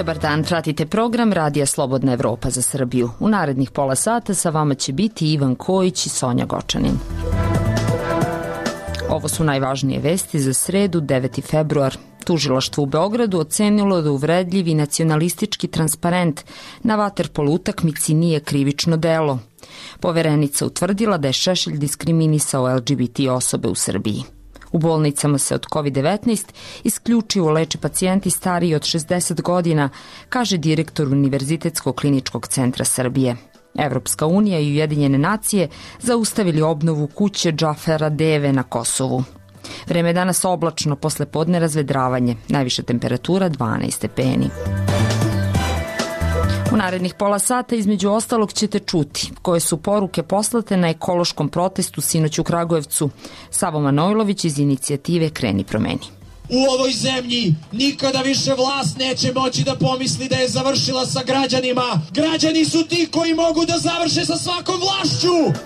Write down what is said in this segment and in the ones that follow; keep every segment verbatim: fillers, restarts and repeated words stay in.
Dobar dan, pratite program Radija Slobodna Evropa za Srbiju. U narednih pola sata sa vama će biti Ivan Kojić i Sonja Gočanin. Ovo su najvažnije vesti za sredu, deveti februar. Tužilaštvo u Beogradu ocenilo da uvredljivi nacionalistički transparent na vaterpolo utakmici nije krivično delo. Poverenica utvrdila da je Šešelj diskriminisao el ge be te osobe u Srbiji. U bolnicama se od kovid devetnaest isključivo leče pacijenti stariji od šezdeset godina, kaže direktor Univerzitetskog kliničkog centra Srbije. Evropska unija i Ujedinjene nacije zaustavili obnovu kuće Džafera Deve na Kosovu. Vreme je danas oblačno, posle podne razvedravanje, najviša temperatura dvanaest stepeni. U narednih pola sata između ostalog ćete čuti koje su poruke poslate na ekološkom protestu sinoć u Kragujevcu. Savo Manojlović iz inicijative Kreni promeni. U ovoj zemlji nikada više vlast neće moći da pomisli da je završila sa građanima. Građani su ti koji mogu da završe sa svakom vlašću.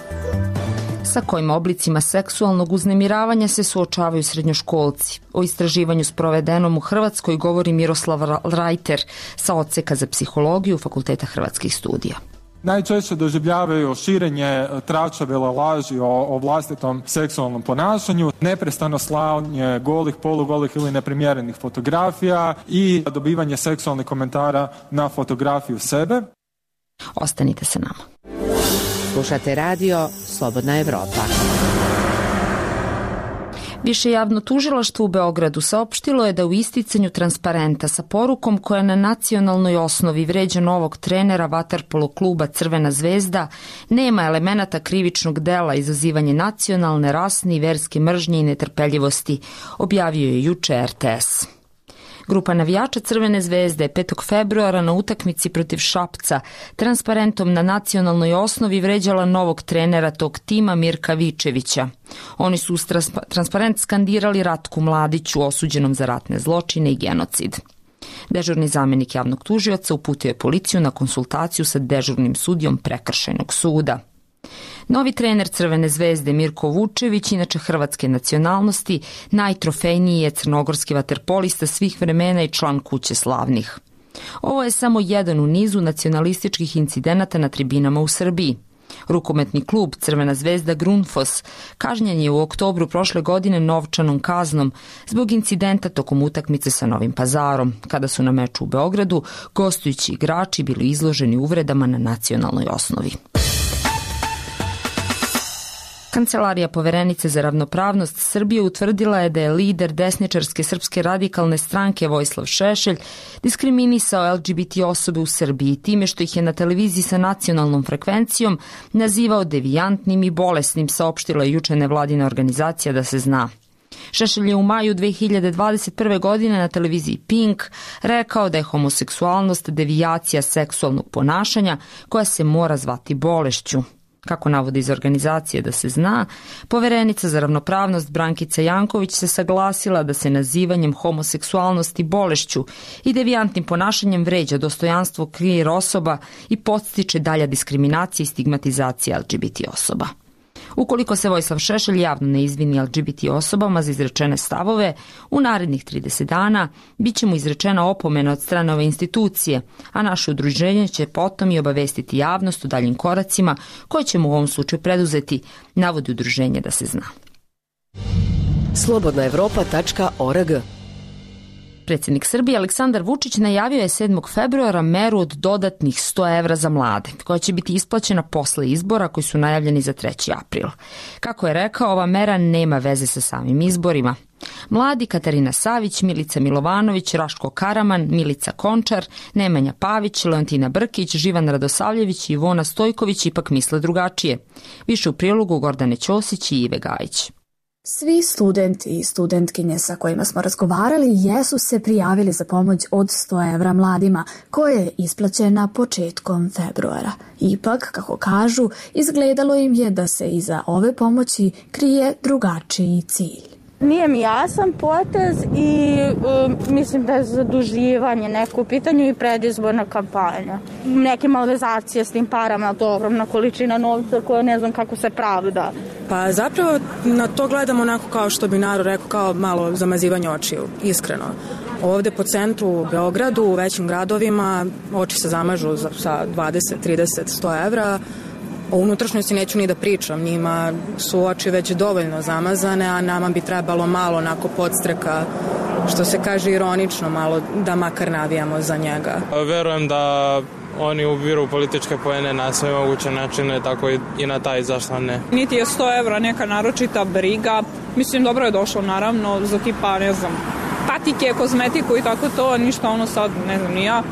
Sa kojim oblicima seksualnog uznemiravanja se suočavaju srednjoškolci. O istraživanju sprovedenom u Hrvatskoj govori Miroslav Rajter sa odseka za psihologiju Fakulteta hrvatskih studija. Najčešće doživljavaju širenje tračavela laži o, o vlastitom seksualnom ponašanju, neprestano slanje golih, polugolih ili neprimjerenih fotografija i dobivanje seksualnih komentara na fotografiju sebe. Ostanite sa nama. Slušate radio Slobodna Evropa. Više javno tužilaštvo u Beogradu saopštilo je da u isticanju transparenta sa porukom koja na nacionalnoj osnovi vređa novog trenera vaterpolo kluba Crvena zvezda nema elemenata krivičnog dela izazivanje nacionalne, rasne i verske mržnje i netrpeljivosti, objavio je juče er te es. Grupa navijača Crvene zvezde petog februara na utakmici protiv Šapca transparentom na nacionalnoj osnovi vređala novog trenera tog tima Mirka Vičevića. Oni su uz transparent skandirali Ratku Mladiću, osuđenom za ratne zločine i genocid. Dežurni zamenik javnog tužioca uputio je policiju na konsultaciju sa dežurnim sudijom prekršajnog suda. Novi trener Crvene zvezde Mirko Vučević, inače hrvatske nacionalnosti, najtrofejniji je crnogorski vaterpolista svih vremena i član Kuće slavnih. Ovo je samo jedan u nizu nacionalističkih incidenata na tribinama u Srbiji. Rukometni klub Crvena zvezda Grundfos kažnjen je u oktobru prošle godine novčanom kaznom zbog incidenta tokom utakmice sa Novim Pazarom, kada su na meču u Beogradu gostujući igrači bili izloženi uvredama na nacionalnoj osnovi. Kancelarija Poverenice za ravnopravnost Srbije utvrdila je da je lider desničarske Srpske radikalne stranke Vojislav Šešelj diskriminisao el ge be te osobe u Srbiji time što ih je na televiziji sa nacionalnom frekvencijom nazivao devijantnim i bolesnim, saopštila je juče nevladina organizacija Da se zna. Šešelj je u maju dve hiljade dvadeset prve. godine na televiziji Pink rekao da je homoseksualnost devijacija seksualnog ponašanja koja se mora zvati bolešću. Kako navode iz organizacije Da se zna, Poverenica za ravnopravnost Brankica Janković se saglasila da se nazivanjem homoseksualnosti bolešću i devijantnim ponašanjem vređa dostojanstvo queer osoba i podstiče dalja diskriminacija i stigmatizacija el ge be te osoba. Ukoliko se Vojislav Šešelj javno ne izvini el ge be te osobama za izrečene stavove, u narednih trideset dana bit će mu izrečena opomena od strane ove institucije, a naše udruženje će potom i obavestiti javnost o daljim koracima koje ćemo u ovom slučaju preduzeti, navodi udruženje Da se zna. slobodna evropa tačka org. Predsjednik Srbije Aleksandar Vučić najavio je sedmog februara meru od dodatnih sto evra za mlade, koja će biti isplaćena posle izbora koji su najavljeni za treći april. Kako je rekao, ova mera nema veze sa samim izborima. Mladi Katarina Savić, Milica Milovanović, Raško Karaman, Milica Končar, Nemanja Pavić, Leontina Brkić, Živan Radosavljević i Ivona Stojković ipak misle drugačije. Više u prilogu Gordane Ćosić i Ive Gajić. Svi studenti i studentkinje sa kojima smo razgovarali jesu se prijavili za pomoć od sto evra mladima, koja je isplaćena početkom februara. Ipak, kako kažu, izgledalo im je da se iza ove pomoći krije drugačiji cilj. Nije mi jasan potez i um, mislim da je zaduživanje neko u pitanju i predizborna kampanja. Neke malverzacije s tim parama, to ogromna količina novca koja ne znam kako se pravda. Pa zapravo na to gledamo onako kao što bi narod rekao, kao malo zamazivanje očiju, iskreno. Ovde po centru u Beogradu, u većim gradovima, oči se zamažu sa dvadeset, trideset, sto evra. O unutrašnjosti neću ni da pričam, njima su oči već dovoljno zamazane, a nama bi trebalo malo onako podstreka, što se kaže ironično, malo da makar navijamo za njega. Verujem da oni ubiru političke poene na sve moguće načine, tako i na taj zašto ne. Niti je sto evra neka naročita briga, mislim dobro je došlo naravno za tipa, ne znam, patike, kozmetiku i tako to, ništa ono sad, ne znam, ni ja.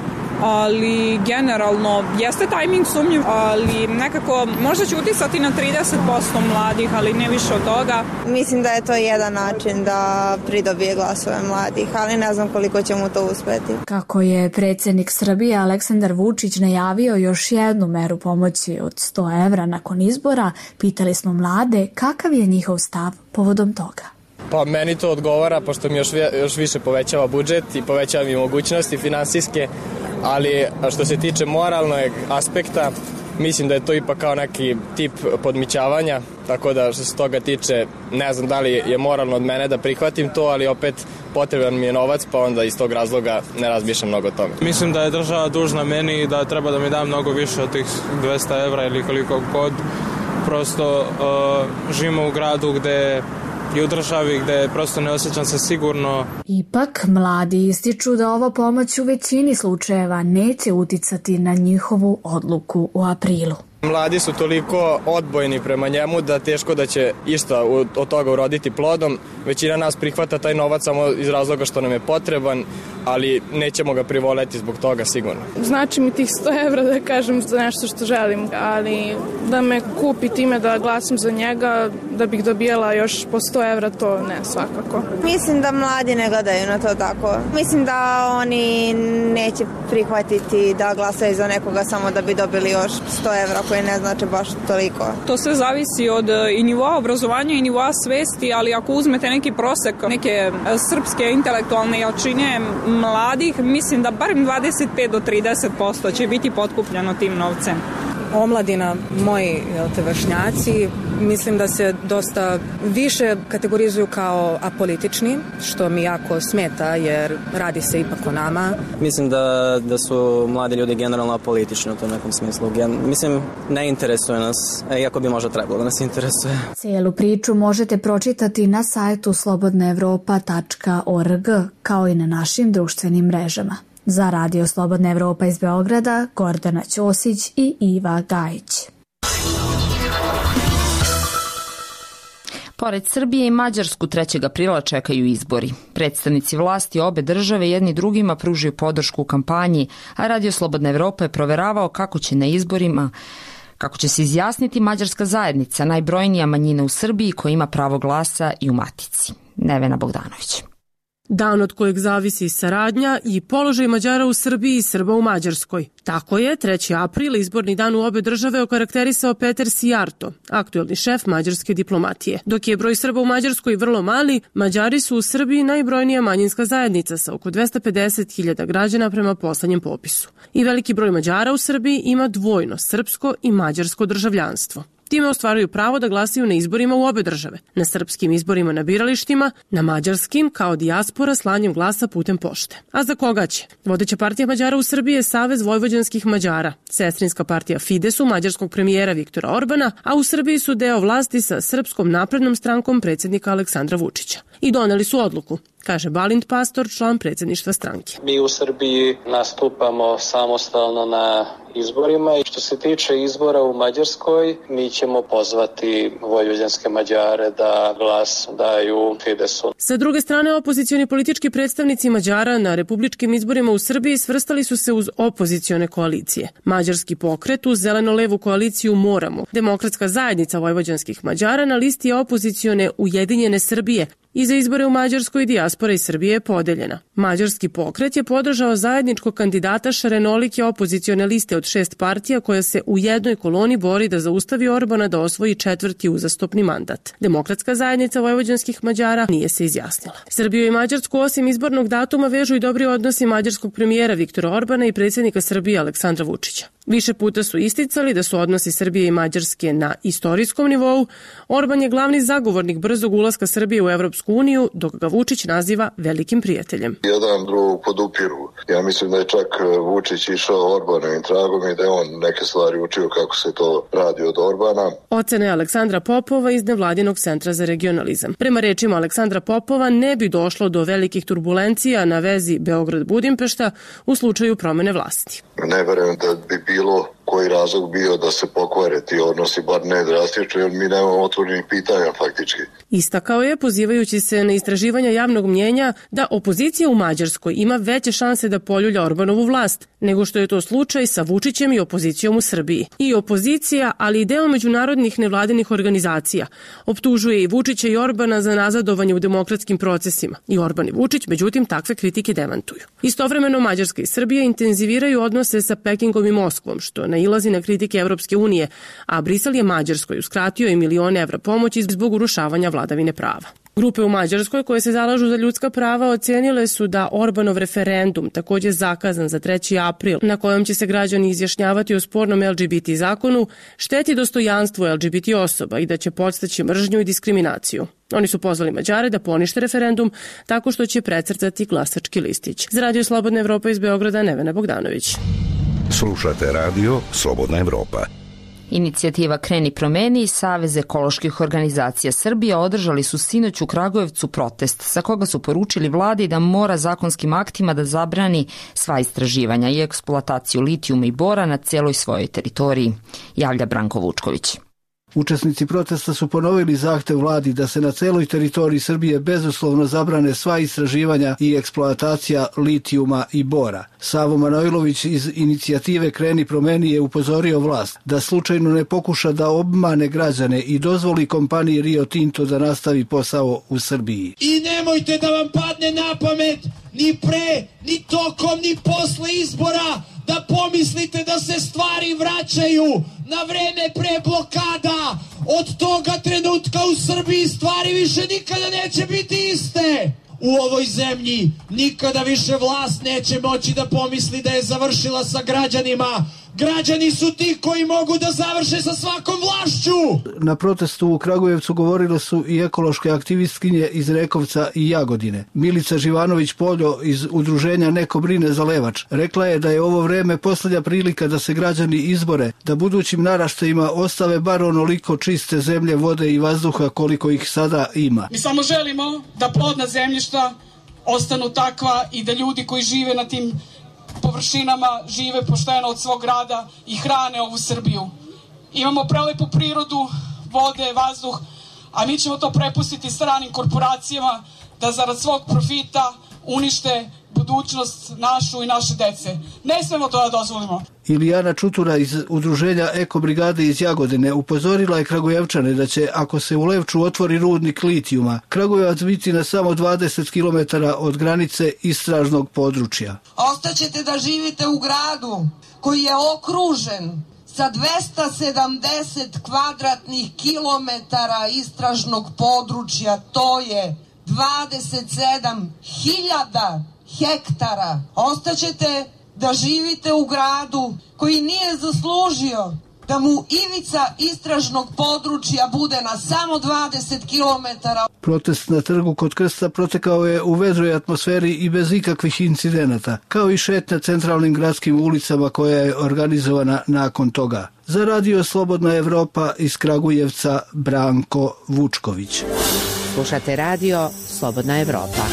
Ali generalno jeste tajming sumnjiv, ali nekako možda će utisati na trideset posto mladih, ali ne više od toga. Mislim da je to jedan način da pridobije glasove mladih, ali ne znam koliko će mu to uspeti. Kako je predsjednik Srbije Aleksandar Vučić najavio još jednu meru pomoći od sto evra nakon izbora, pitali smo mlade kakav je njihov stav povodom toga. Pa meni to odgovara, pošto mi još, još više povećava budžet i povećava mi mogućnosti finansijske, ali što se tiče moralnog aspekta, mislim da je to ipak kao neki tip podmićavanja, tako da što se toga tiče, ne znam da li je moralno od mene da prihvatim to, ali opet potreban mi je novac, pa onda iz tog razloga ne razmišljam mnogo o tome. Mislim da je država dužna meni i da treba da mi da mnogo više od tih dvesta evra ili koliko god. Prosto uh, živimo u gradu gde i u državi gde prosto ne osjećam se sigurno. Ipak, mladi ističu da ova pomoć u većini slučajeva neće uticati na njihovu odluku u aprilu. Mladi su toliko odbojni prema njemu da teško da će išta od toga uroditi plodom. Većina nas prihvata taj novac samo iz razloga što nam je potreban, ali nećemo ga privoleti zbog toga sigurno. Znači mi tih sto evra da kažem za nešto što želim, ali da me kupi time da glasam za njega, da bih dobijela još po sto evra, to ne svakako. Mislim da mladi ne gledaju na to tako. Mislim da oni neće prihvatiti da glasaju za nekoga samo da bi dobili još sto evra koji ne znači baš toliko. To sve zavisi od i nivoa obrazovanja i nivoa svesti, ali ako uzmete neki prosek, neke srpske intelektualne jačine mladih, mislim da barem dvadeset pet do trideset posto će biti potkupljeno tim novcem. Omladina, moji te vršnjaci, mislim da se dosta više kategorizuju kao apolitični, što mi jako smeta jer radi se ipak o nama. Mislim da, da su mladi ljudi generalno apolitični u tom nekom smislu. Mislim, ne interesuje nas, iako bi možda trebalo da nas interesuje. Cijelu priču možete pročitati na sajtu slobodna evropa tačka org kao i na našim društvenim mrežama. Za Radio Slobodna Evropa iz Beograda, Gordana Ćosić i Iva Gajić. Pored Srbije i Mađarsku trećeg aprila čekaju izbori. Predstavnici vlasti obe države jedni drugima pružaju podršku u kampanji, a Radio Slobodna Evropa je proveravao kako će na izborima Kako će se izjasniti mađarska zajednica, najbrojnija manjina u Srbiji koja ima pravo glasa i u Matici. Nevena Bogdanović. Dan od kojeg zavisi saradnja i položaj Mađara u Srbiji i Srba u Mađarskoj. Tako je treći april, izborni dan u obe države, okarakterisao Peter Sijarto, aktuelni šef mađarske diplomatije. Dok je broj Srba u Mađarskoj vrlo mali, Mađari su u Srbiji najbrojnija manjinska zajednica sa oko dvesta pedeset hiljada građana prema poslednjem popisu. I veliki broj Mađara u Srbiji ima dvojno srpsko i mađarsko državljanstvo. Time ostvaruju pravo da glasaju na izborima u obe države, na srpskim izborima na biralištima, na mađarskim kao dijaspora slanjem glasa putem pošte. A za koga će? Vodeća partija Mađara u Srbiji je Savez vojvođanskih Mađara, sestrinska partija Fidesu mađarskog premijera Viktora Orbana, a u Srbiji su deo vlasti sa Srpskom naprednom strankom predsjednika Aleksandra Vučića. I doneli su odluku, kaže Balint Pastor, član predsjedništva stranke. Mi u Srbiji nastupamo samostalno na izborima i što se tiče izbora u Mađarskoj, mi ćemo pozvati vojvođanske Mađare da glas daju Fidesu. Sa druge strane, opozicioni politički predstavnici Mađara na republičkim izborima u Srbiji svrstali su se uz opozicione koalicije. Mađarski pokret uz zeleno-levu koaliciju Moramo, Demokratska zajednica vojvođanskih Mađara na listi opozicione Ujedinjene Srbije. I za izbore u Mađarskoj dijaspora iz Srbije je podeljena. Mađarski pokret je podržao zajedničkog kandidata šarenolike opozicione liste od šest partija koja se u jednoj koloni bori da zaustavi Orbana da osvoji četvrti uzastopni mandat. Demokratska zajednica vojvođanskih Mađara nije se izjasnila. Srbiju i Mađarsku osim izbornog datuma vežu i dobri odnosi mađarskog premijera Viktora Orbana i predsjednika Srbije Aleksandra Vučića. Više puta su isticali da su odnosi Srbije i Mađarske na istorijskom nivou. Orban je glavni zagovornik brzog ulaska Srbije u Evropsku uniju, dok ga Vučić naziva velikim prijateljem. Jedan drugog podupiru. Ja mislim da je čak Vučić išao Orbanovim tragom i da je on neke stvari učio kako se to radi od Orbana. Ocene Aleksandra Popova iz Nevladinog centra za regionalizam. Prema rečima Aleksandra Popova ne bi došlo do velikih turbulencija na vezi Beograd-Budimpešta u slučaju promene vlasti. Ne verujem da bi bilo koji razlog bio da se pokvare ti odnosi, bar ne drastično, jer mi nemamo otvorenih pitanja faktički. Istakao je, pozivajući se na istraživanja javnog mnjenja, da opozicija u Mađarskoj ima veće šanse da poljulja Orbanovu vlast, nego što je to slučaj sa Vučićem i opozicijom u Srbiji. I opozicija, ali i deo međunarodnih nevladinih organizacija, optužuje i Vučića i Orbana za nazadovanje u demokratskim procesima. I Orban i Vučić, međutim, takve kritike demantuju. Istovremeno, Mađarska i Srbija intenziviraju odnose sa Pekingom i Moskvom, što nailazi na kritike Evropske unije, a Brisel je Mađarskoj uskratio i milione evra pomoći zbog urušavanja vladavine prava. Grupe u Mađarskoj koje se zalažu za ljudska prava ocenile su da Orbanov referendum, takođe zakazan za treći april, na kojem će se građani izjašnjavati o spornom L G B T zakonu, šteti dostojanstvo L G B T osoba i da će podstaći mržnju i diskriminaciju. Oni su pozvali Mađare da ponište referendum tako što će precrtati glasački listić. Za Radio Slobodna Evropa iz Beograda, Nevena Bogdanović. Slušate radio Slobodna Evropa. Inicijativa Kreni promeni i Savez ekoloških organizacija Srbije održali su sinoć u Kragujevcu protest sa koga su poručili vladi da mora zakonskim aktima da zabrani sva istraživanja i eksploataciju litijuma i bora na celoj svojoj teritoriji, javlja Branko Vučković. Učesnici protesta su ponovili zahtev vladi da se na celoj teritoriji Srbije bezuslovno zabrane sva istraživanja i eksploatacija litijuma i bora. Savo Manojlović iz inicijative Kreni promeni je upozorio vlast da slučajno ne pokuša da obmane građane i dozvoli kompaniji Rio Tinto da nastavi posao u Srbiji. I nemojte da vam padne na pamet ni pre, ni tokom, ni posle izbora da pomislite da se stvari vraćaju na vreme pre blokada. Od toga trenutka u Srbiji stvari više nikada neće biti iste. U ovoj zemlji nikada više vlast neće moći da pomisli da je završila sa građanima. Građani su ti koji mogu da završe sa svakom vlašću. Na protestu u Kragujevcu govorile su i ekološke aktivistkinje iz Rekovca i Jagodine. Milica Živanović-Poljo iz udruženja Neko brine za Levač rekla je da je ovo vreme poslednja prilika da se građani izbore, da budućim naraštajima ostave bar onoliko čiste zemlje, vode i vazduha koliko ih sada ima. Mi samo želimo da plodna zemljišta ostanu takva i da ljudi koji žive na tim površinama žive pošteno od svog rada i hrane ovu Srbiju. Imamo prelepu prirodu, vode, vazduh, a mi ćemo to prepustiti stranim korporacijama da zarad svog profita unište budućnost našu i naše dece. Ne smemo to da dozvolimo. Ilijana Čutura iz udruženja Eko brigade iz Jagodine upozorila je Kragujevčane da će, ako se u Levču otvori rudnik litijuma, Kragujevac biti na samo dvadeset kilometara od granice istražnog područja. Ostaćete da živite u gradu koji je okružen sa dvesta sedamdeset kvadratnih kilometara istražnog područja, to je dvadeset sedam hiljada hektara. Ostaćete da živite u gradu koji nije zaslužio da mu ivica istražnog područja bude na samo dvadeset kilometara. Protest na trgu kod Krsta protekao je u vedroj atmosferi i bez ikakvih incidenata, kao i šetnja centralnim gradskim ulicama koja je organizovana nakon toga. Za Radio Slobodna Evropa iz Kragujevca, Branko Vučković. Slušate Radio Slobodna Evropa.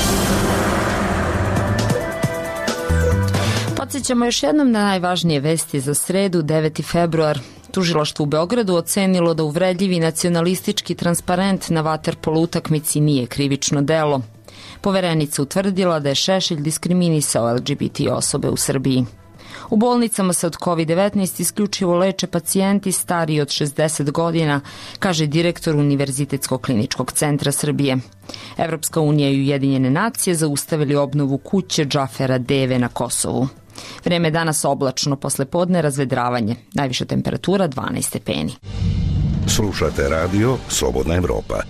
Podsjećamo još jednom na najvažnije vesti za sredu, deveti februar. Tužilaštvo u Beogradu ocenilo da uvredljivi nacionalistički transparent na vaterpolo utakmici nije krivično delo. Poverenica utvrdila da je Šešelj diskriminisao L G B T osobe u Srbiji. U bolnicama se od kovid devetnaest isključivo leče pacijenti stariji od šezdeset godina, kaže direktor Univerzitetskog kliničkog centra Srbije. Evropska unija i Ujedinjene nacije zaustavili obnovu kuće Džafera Deve na Kosovu. Vreme je danas oblačno, posle podne razvedravanje. Najviša temperatura dvanaest stepeni. Slušate radio Slobodna Evropa.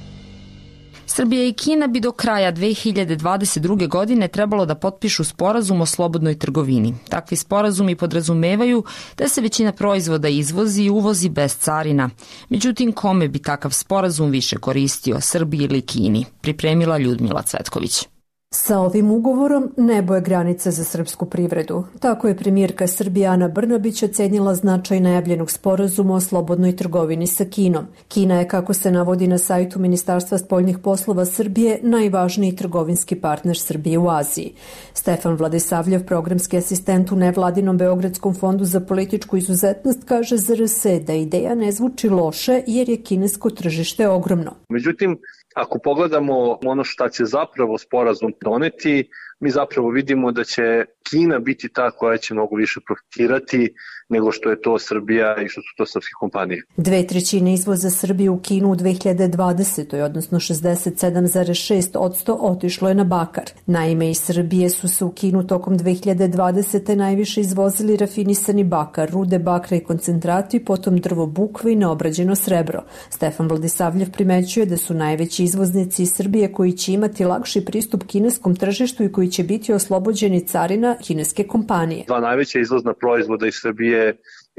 Srbija i Kina bi do kraja dve hiljade dvadeset druge. godine trebalo da potpišu sporazum o slobodnoj trgovini. Takvi sporazumi podrazumevaju da se većina proizvoda izvozi i uvozi bez carina. Međutim, kome bi takav sporazum više koristio, Srbiji ili Kini? Pripremila Ljudmila Cvetković. Sa ovim ugovorom nebo je granica za srpsku privredu. Tako je premijerka Srbije Ana Brnabić ocenila značaj najavljenog sporazuma o slobodnoj trgovini sa Kinom. Kina je, kako se navodi na sajtu Ministarstva spoljnih poslova Srbije, najvažniji trgovinski partner Srbije u Aziji. Stefan Vladisavljev, programski asistent u nevladinom Beogradskom fondu za političku izuzetnost, kaže za R S da ideja ne zvuči loše jer je kinesko tržište ogromno. Međutim, ako pogledamo ono šta će zapravo sporazum doneti, mi zapravo vidimo da će Kina biti ta koja će mnogo više profitirati nego što je to Srbija i što su to srpske kompanije. Dve trećine izvoza Srbije u Kinu u dve hiljade dvadesetoj. odnosno šezdeset sedam zarez šest posto otišlo je na bakar. Naime, iz Srbije su se u Kinu tokom dve hiljade dvadesete. najviše izvozili rafinisani bakar, rude bakra i koncentrati, potom drvo bukve i neobrađeno srebro. Stefan Vladisavljev primećuje da su najveći izvoznici iz Srbije koji će imati lakši pristup kineskom tržištu i koji će biti oslobođeni carina kineske kompanije. Dva najveća izvozna proizvoda iz Srbije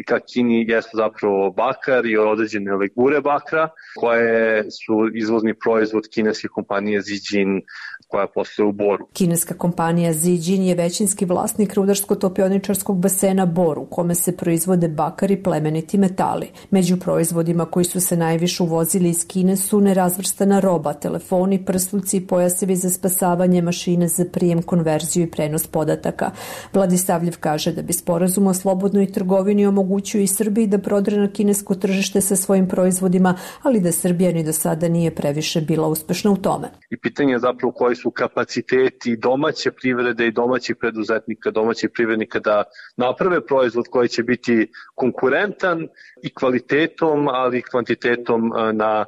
ka Kini jesu zapravo bakar i određene legure bakra, koje su izvozni proizvod kineske kompanije Zijin koja posluje u Boru. Kineska kompanija Zijin je većinski vlasnik rudarsko-topioničarskog basena Bor, u kome se proizvode bakar i plemeniti metali. Među proizvodima koji su se najviše uvozili iz Kine su nerazvrstana roba, telefoni, prsluci i pojasevi za spasavanje, mašine za prijem, konverziju i prenos podataka. Vladisavljev kaže da bi sporazum o slobodnoj trgovini omogućio i Srbiji da prodre na kinesko tržište sa svojim proizvodima, ali da Srbija ni do sada nije previše bila uspešna u tome. I pitanje je zapravo koji su kapaciteti domaće privrede i domaćih preduzetnika, domaćih privrednika da naprave proizvod koji će biti konkurentan i kvalitetom, ali i kvantitetom na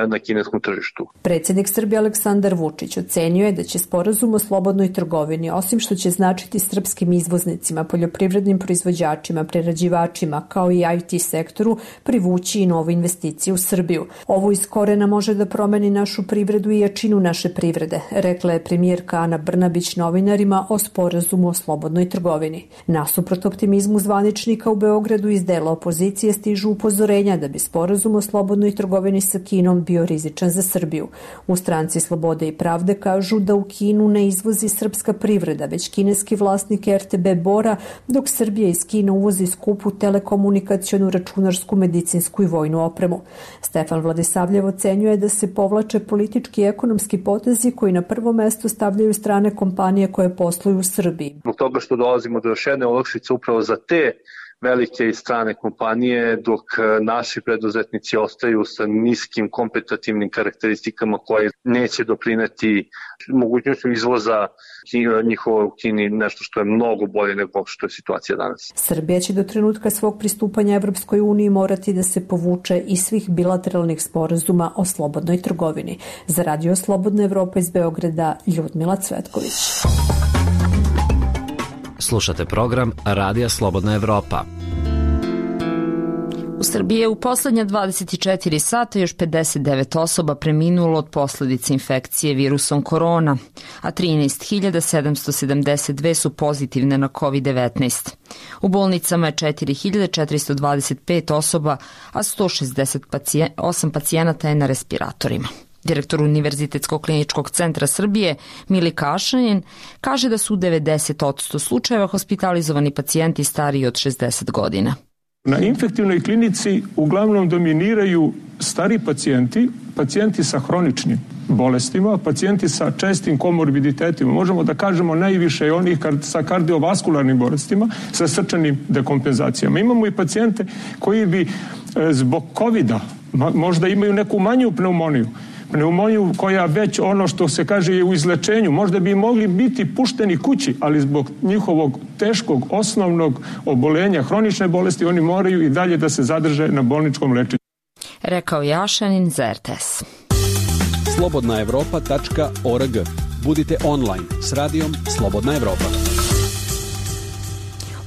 na kineskom tržištu. Predsjednik Srbije Aleksandar Vučić ocenio je da će sporazum o slobodnoj trgovini, osim što će značiti srpskim izvoznicima, poljoprivrednim proizvođačima, prerađivačima, kao i I T sektoru, privući i nove investicije u Srbiju. Ovo iz korena može da promeni našu privredu i jačinu naše privrede, rekla je premijerka Ana Brnabić novinarima o sporazumu o slobodnoj trgovini. Nasuprot optimizmu zvaničnika u Beogradu iz dela opozicije stižu upozorenja da bi sporazum o slobodnoj trgovini sa Kinom bio rizičan za Srbiju. U stranci Slobode i pravde kažu da u Kinu ne izvozi srpska privreda, već kineski vlasnik R T B Bora, dok Srbija iz Kine uvozi skupu telekomunikacionu, računarsku, medicinsku i vojnu opremu. Stefan Vladisavljev ocenjuje da se povlače politički i ekonomski potezi koji na prvo mesto stavljaju strane kompanije koje posluju u Srbiji. Zbog toga što dolazimo do još jedne olakšice upravo za te velike i strane kompanije, dok naši preduzetnici ostaju sa niskim kompetitivnim karakteristikama koje neće doprineti mogućnošću izvoza njihovo u Kini, nešto što je mnogo bolje nego što je situacija danas. Srbija će do trenutka svog pristupanja Evropskoj uniji morati da se povuče iz svih bilateralnih sporazuma o slobodnoj trgovini. Za Radio Slobodna Evropa iz Beograda, Ljudmila Cvetković. Slušate program Radija Slobodna Evropa. U Srbiji je u poslednja dvadeset četiri sata još pedeset devet osoba preminulo od posledica infekcije virusom korona, a trinaest hiljada sedamsto sedamdeset dve su pozitivne na kovid devetnaest. U bolnicama je četiri hiljade četiristo dvadeset pet osoba, a sto šezdeset osam pacijenata je na respiratorima. Direktor Univerzitetskog kliničkog centra Srbije, Milika Ašanin, kaže da su u devedeset posto slučajeva hospitalizovani pacijenti stariji od šezdeset godina. Na infektivnoj klinici uglavnom dominiraju stari pacijenti, pacijenti sa hroničnim bolestima, pacijenti sa čestim komorbiditetima. Možemo da kažemo najviše onih sa kardiovaskularnim bolestima, sa srčanim dekompenzacijama. Imamo i pacijente koji bi zbog kovida možda imaju neku manju pneumoniju, pneumoniju koja već ono što se kaže je u izlečenju, možda bi mogli biti pušteni kući, ali zbog njihovog teškog osnovnog obolenja, hronične bolesti, oni moraju i dalje da se zadrže na bolničkom lečenju. Rekao je Ašanin za R T S. slobodna evropa tačka org. Budite online s radijom Slobodna Evropa.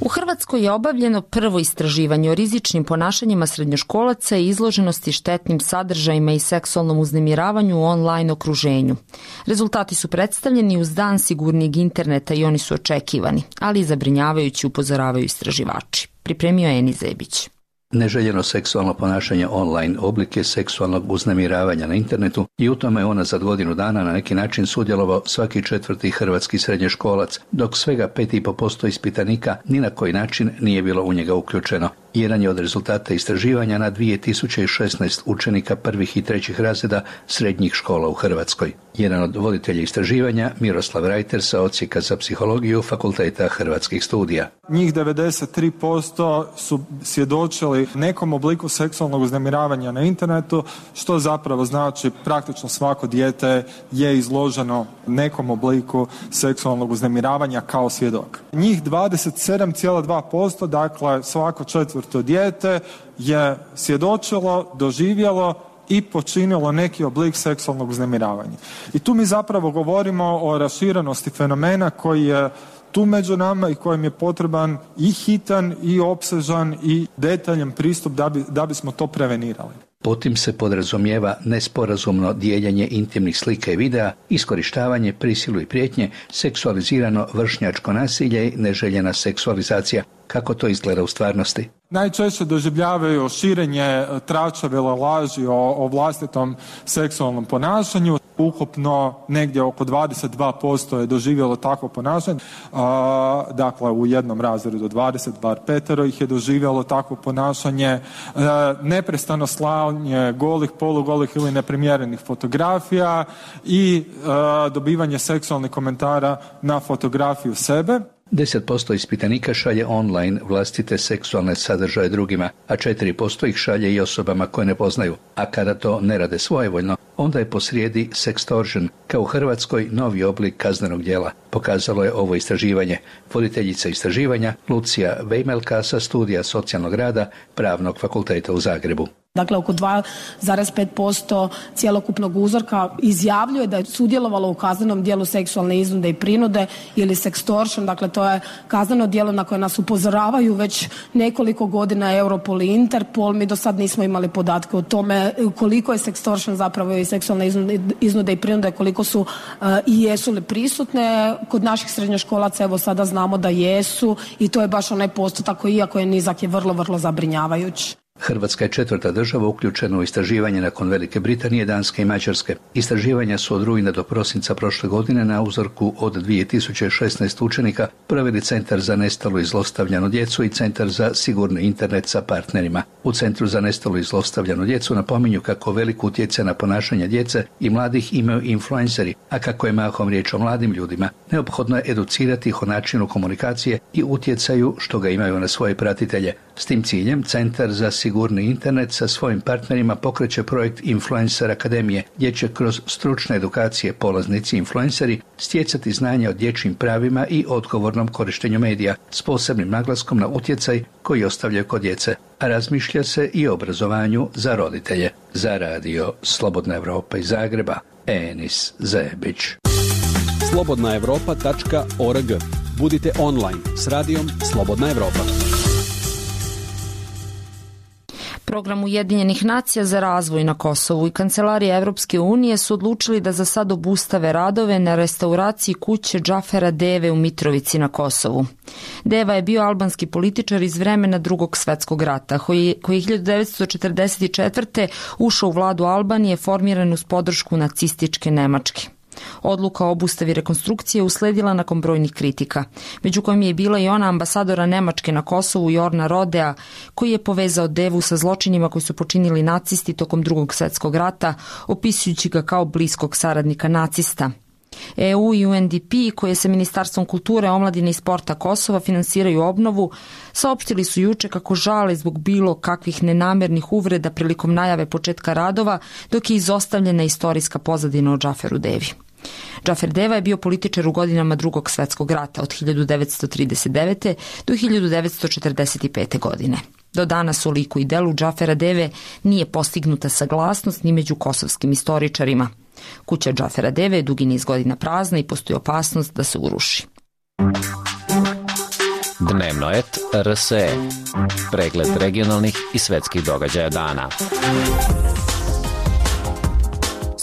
U Hrvatskoj je obavljeno prvo istraživanje o rizičnim ponašanjima srednjoškolaca i izloženosti štetnim sadržajima i seksualnom uznemiravanju u online okruženju. Rezultati su predstavljeni uz dan sigurnijeg interneta i oni su očekivani, ali i zabrinjavajući, upozoravaju istraživači. Pripremio je Eni Zebić. Neželjeno seksualno ponašanje online oblik je seksualnog uznemiravanja na internetu i u tome je ona za godinu dana na neki način sudjelovao svaki četvrti hrvatski srednjoškolac, dok svega pet i po posto ispitanika ni na koji način nije bilo u njega uključeno. Jedan je od rezultata istraživanja na dvije tisuće šesnaest učenika prvih i trećih razreda srednjih škola u Hrvatskoj. Jedan od voditelja istraživanja, Miroslav Rajter sa Odsjeka za psihologiju Fakulteta Hrvatskih studija. Njih devedeset tri posto su svjedočili nekom obliku seksualnog uznemiravanja na internetu, što zapravo znači praktično svako dijete je izloženo nekom obliku seksualnog uznemiravanja kao svjedok. Njih dvadeset sedam zarez dva posto, dakle svako četvrto dijete, je svjedočilo, doživjelo i počinilo neki oblik seksualnog uznemiravanja. I tu mi zapravo govorimo o raširenosti fenomena koji je tu među nama i kojem je potreban i hitan i opsežan i detaljan pristup da, bi, da bismo to prevenirali. Potim se podrazumijeva nesporazumno dijeljenje intimnih slika i videa, iskorištavanje, prisilu i prijetnje, seksualizirano vršnjačko nasilje i neželjena seksualizacija. Kako to izgleda u stvarnosti? Najčešće doživljavaju širenje tračave laži o, o vlastitom seksualnom ponašanju. Ukupno negdje oko dvadeset dva posto je doživjelo takvo ponašanje. A, dakle, u jednom razredu dvadeset, bar petero ih je doživjelo takvo ponašanje. A, neprestano slanje golih, polugolih ili neprimjerenih fotografija i a, dobivanje seksualnih komentara na fotografiju sebe. deset posto ispitanika šalje online vlastite seksualne sadržaje drugima, a četiri posto ih šalje i osobama koje ne poznaju. A kada to ne rade svojevoljno, onda je posrijedi sextortion, kao u Hrvatskoj novi oblik kaznenog djela. Pokazalo je ovo istraživanje. Voditeljica istraživanja Lucija Vejmelka sa studija socijalnog rada Pravnog fakulteta u Zagrebu. Dakle, oko dva zarez pet posto cjelokupnog uzorka izjavljuje da je sudjelovalo u kaznenom djelu seksualne iznude i prinude ili sextortion. Dakle, to je kazneno djelo na koje nas upozoravaju već nekoliko godina Europol i Interpol. Mi do sad nismo imali podatke o tome koliko je sextortion zapravo i seksualne iznude i prinude, koliko su uh, i jesu li prisutne. Kod naših srednjoškolaca evo sada znamo da jesu i to je baš onaj postotak koji, iako je nizak, je vrlo, vrlo zabrinjavajući. Hrvatska je četvrta država uključena u istraživanje nakon Velike Britanije, Danske i Mađarske. Istraživanja su od rujna do prosinca prošle godine na uzorku od dvije tisuće šesnaest učenika proveli Centar za nestalu i zlostavljanu djecu i Centar za sigurni internet sa partnerima. U Centru za nestalu i zlostavljanu djecu napominju kako velik utjecaj na ponašanje djece i mladih imaju influenceri, a kako je mahom riječ o mladim ljudima, neophodno je educirati ih o načinu komunikacije i utjecaju što ga imaju na svoje pratitelje. S tim ciljem Centar za sigurni internet sa svojim partnerima pokreće projekt Influencer Akademije, gdje će kroz stručne edukacije polaznici influenceri stjecati znanja o dječjim pravima i odgovornom korištenju medija, s posebnim naglaskom na utjecaj koji ostavljaju kod djece. A razmišlja se i o obrazovanju za roditelje. Za radio Slobodna Evropa iz Zagreba, Enis Zebić. slobodna evropa tačka org. Budite online s radijom Slobodna Evropa. Program Ujedinjenih nacija za razvoj na Kosovu i Kancelarija Evropske unije su odlučili da za sad obustave radove na restauraciji kuće Džafera Deve u Mitrovici na Kosovu. Deva je bio albanski političar iz vremena Drugog svetskog rata, koji, koji je hiljadu devetsto četrdeset četvrte ušao u vladu Albanije formiran uz podršku nacističke Nemačke. Odluka o obustavi rekonstrukcije usledila nakon brojnih kritika, među kojim je bila i ona ambasadora Nemačke na Kosovu Jorna Rodea, koji je povezao Devu sa zločinima koji su počinili nacisti tokom Drugog svjetskog rata, opisujući ga kao bliskog saradnika nacista. E U i U N D P, koje sa Ministarstvom kulture, omladine i sporta Kosova finansiraju obnovu, saopštili su juče kako žale zbog bilo kakvih nenamjernih uvreda prilikom najave početka radova, dok je izostavljena istorijska pozadina o Džaferu Devi. Džafer Deva je bio političar u godinama Drugog svjetskog rata od hiljadu devetsto trideset devete do hiljadu devetsto četrdeset pete. godine. Do danas u liku i delu Džafera Deve nije postignuta saglasnost ni među kosovskim istoričarima. Kuća Džafera Deve je dugi niz godina prazna i postoji opasnost da se uruši. Dnevnoet R S E. Pregled regionalnih i svetskih događaja dana.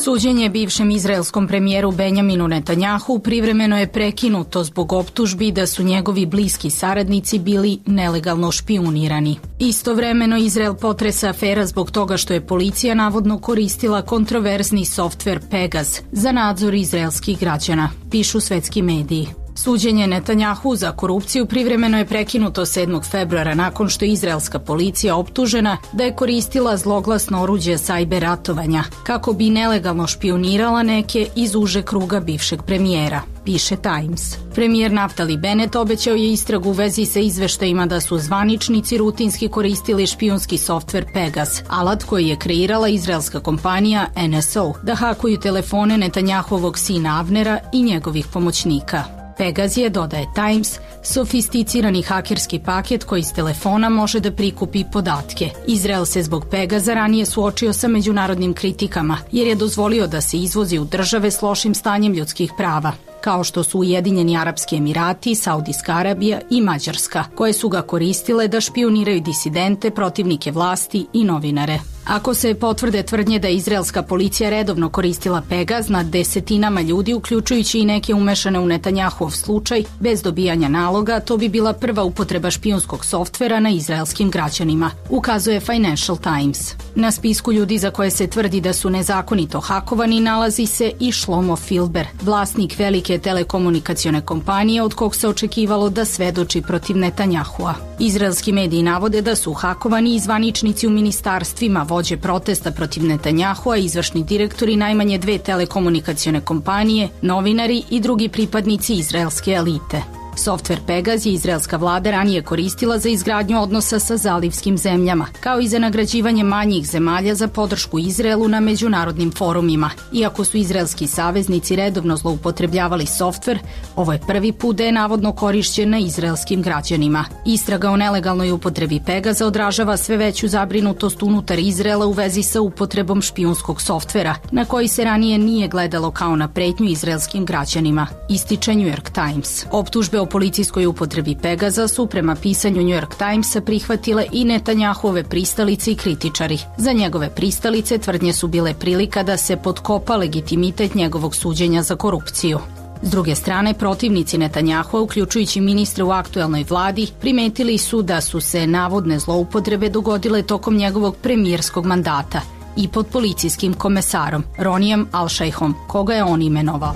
Suđenje bivšem izraelskom premijeru Benjaminu Netanjahu privremeno je prekinuto zbog optužbi da su njegovi bliski saradnici bili nelegalno špijunirani. Istovremeno Izrael potresa afera zbog toga što je policija navodno koristila kontroverzni softver Pegaz za nadzor izraelskih građana, pišu svetski mediji. Suđenje Netanjahu za korupciju privremeno je prekinuto sedmog februara nakon što je izraelska policija optužena da je koristila zloglasno oruđe sajber ratovanja kako bi nelegalno špijunirala neke iz uže kruga bivšeg premijera, piše Times. Premijer Naftali Bennett obećao je istragu u vezi sa izveštajima da su zvaničnici rutinski koristili špijunski softver Pegaz, alat koji je kreirala izraelska kompanija N S O, da hakuju telefone Netanjahovog sina Avnera i njegovih pomoćnika. Pegaz je, dodaje Times, sofisticirani hakerski paket koji iz telefona može da prikupi podatke. Izrael se zbog Pegaza ranije suočio sa međunarodnim kritikama, jer je dozvolio da se izvozi u države s lošim stanjem ljudskih prava, kao što su Ujedinjeni Arapski Emirati, Saudijska Arabija i Mađarska, koje su ga koristile da špijuniraju disidente, protivnike vlasti i novinare. Ako se potvrde tvrdnje da je izraelska policija redovno koristila Pegaz nad desetinama ljudi, uključujući i neke umešane u Netanjahov slučaj, bez dobijanja naloga, to bi bila prva upotreba špijunskog softvera na izraelskim građanima, ukazuje Financial Times. Na spisku ljudi za koje se tvrdi da su nezakonito hakovani nalazi se i Shlomo Filber, vlasnik velike telekomunikacione kompanije od kog se očekivalo da svedoči protiv Netanjahua. Izraelski mediji navode da su hakovani i zvaničnici u ministarstvima, vođe protesta protiv Netanjahua, izvršni direktori najmanje dve telekomunikacione kompanije, novinari i drugi pripadnici izraelske elite. Softver Pegaz je izraelska vlada ranije koristila za izgradnju odnosa sa zalivskim zemljama, kao i za nagrađivanje manjih zemalja za podršku Izraelu na međunarodnim forumima. Iako su izraelski saveznici redovno zloupotrebljavali softver, ovo je prvi put da je navodno korišćen na izraelskim građanima. Istraga o nelegalnoj upotrebi Pegaza odražava sve veću zabrinutost unutar Izraela u vezi sa upotrebom špijunskog softvera, na koji se ranije nije gledalo kao na pretnju izraelskim građanima, ističe New York Times. Optužbe o policijskoj upotrebi Pegaza su prema pisanju New York Timesa prihvatile i Netanjahove pristalice i kritičari. Za njegove pristalice tvrdnje su bile prilika da se potkopa legitimitet njegovog suđenja za korupciju. S druge strane, protivnici Netanjahua, uključujući ministre u aktuelnoj vladi, primetili su da su se navodne zloupotrebe dogodile tokom njegovog premijerskog mandata i pod policijskim komesarom Ronijem Al-Šejhom, koga je on imenovao.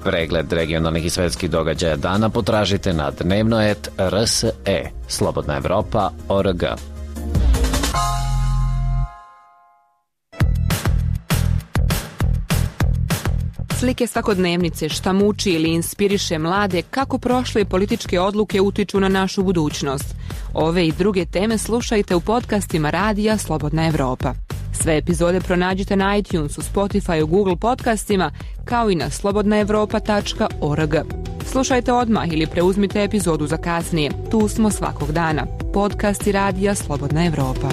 Pregled regionalnih i svetskih događaja dana potražite na Dnevnoet R S E, Slobodna Evropa, O R G. Slike svakodnevnice, šta muči ili inspiriše mlade, kako prošle političke odluke utiču na našu budućnost. Ove i druge teme slušajte u podcastima Radija Slobodna Evropa. Sve epizode pronađite na iTunesu, Spotifyu, Google podcastima, kao i na slobodna evropa tačka org. Slušajte odmah ili preuzmite epizodu za kasnije. Tu smo svakog dana. Podcasti Radija Slobodna Evropa.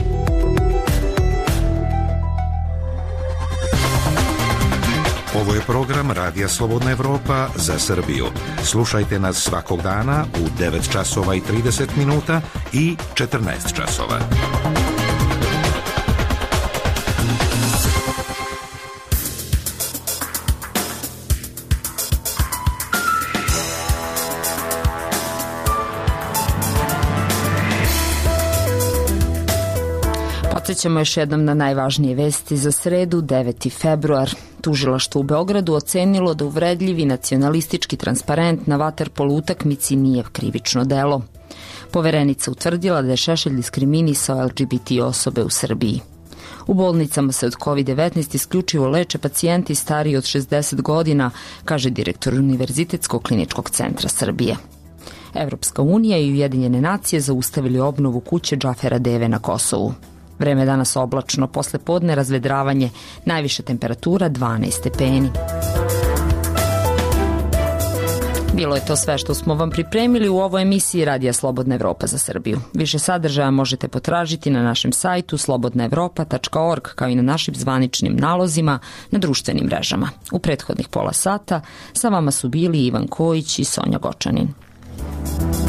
Ovo je program Radija Slobodna Evropa za Srbiju. Slušajte nas svakog dana u devet časova i trideset minuta i četrnaest časova. Podsećamo još jednom na najvažnije vesti za sredu, deveti februar. Tužilaštvo u Beogradu ocenilo da uvredljivi nacionalistički transparent na vaterpolo utakmici nije krivično delo. Poverenica utvrdila da je Šešelj diskriminisao L G B T osobe u Srbiji. U bolnicama se od kovid devetnaest isključivo leče pacijenti stariji od šezdeset godina, kaže direktor Univerzitetskog kliničkog centra Srbije. Evropska unija i Ujedinjene nacije zaustavili obnovu kuće Džafera Deve na Kosovu. Vreme danas oblačno, posle podne razvedravanje, najviša temperatura dvanaest stepeni. Bilo je to sve što smo vam pripremili u ovoj emisiji Radija Slobodna Evropa za Srbiju. Više sadržaja možete potražiti na našem sajtu slobodna evropa tačka org, kao i na našim zvaničnim nalozima na društvenim mrežama. U prethodnih pola sata sa vama su bili Ivan Kojić i Sonja Gočanin. Evropa.